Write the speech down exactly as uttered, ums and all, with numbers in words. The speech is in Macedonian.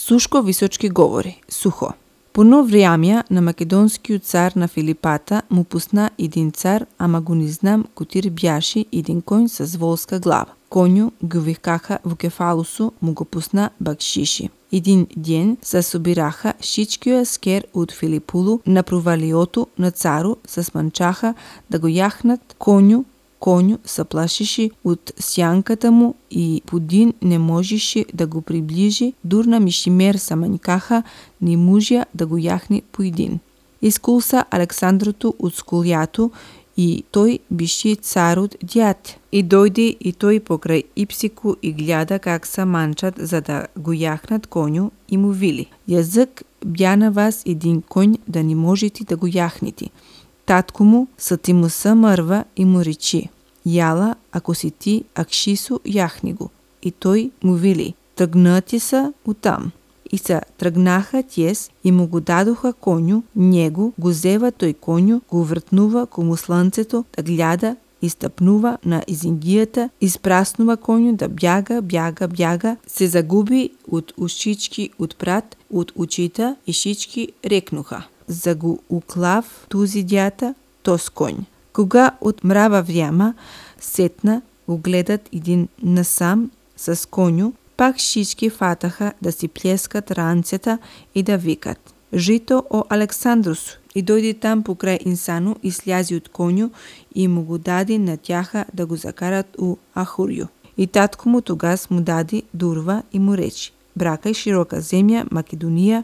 Сушко височки говори, сухо. По нов времја на македонскиот цар на Филипата му пусна еден цар, ама го не знам котир бјаши еден коњ со волска глава. Коњу го викаха во кефалусу, му го пусна бакшиши. Един ден се собираха шичкиот аскер од Филипулу на провалиото на цару, се сманчаха да го јахнат коњу. Коњу се плашеше од сјанката му и Пудин не можеше да го приближи, дур на Мишимер се мањкаха, не можеа да го јахне поедин. Искулса Александрото од скулјато и тој беше царот дјат. И дојде и тој покрај Ипсику и гледа как се манчат за да го јахнат коњу и му вели: Јазик бја на вас един коњ да не можете да го јахнете. Татко му се ти му се мрва и му рече: Јала, ако си ти, акшису, јахни го. И тој му вели: тргнати се утам. И се тргнаха тјес и му го дадоха коњу, него го зева тој коњу, го вртнува кому слънцето, да гледа и стапнува на изингијата, испраснува коњу да бјага, бјага, бјага, се загуби од ушички од прат, од очите и шички рекнуха: за го уклав тузи дјата, тос коњ. Кога од мрава врема сетна го гледат един насам с коњу, пак шички фатаха да си плескат ранцета и да викат: Жито о Александрус! И дојде там покрај инсану и слјази од коњу и му го даде на тјаха да го закарат у Ахурију. И татко му тогас му даде дурва и му рече: бракај широка земја Македонија,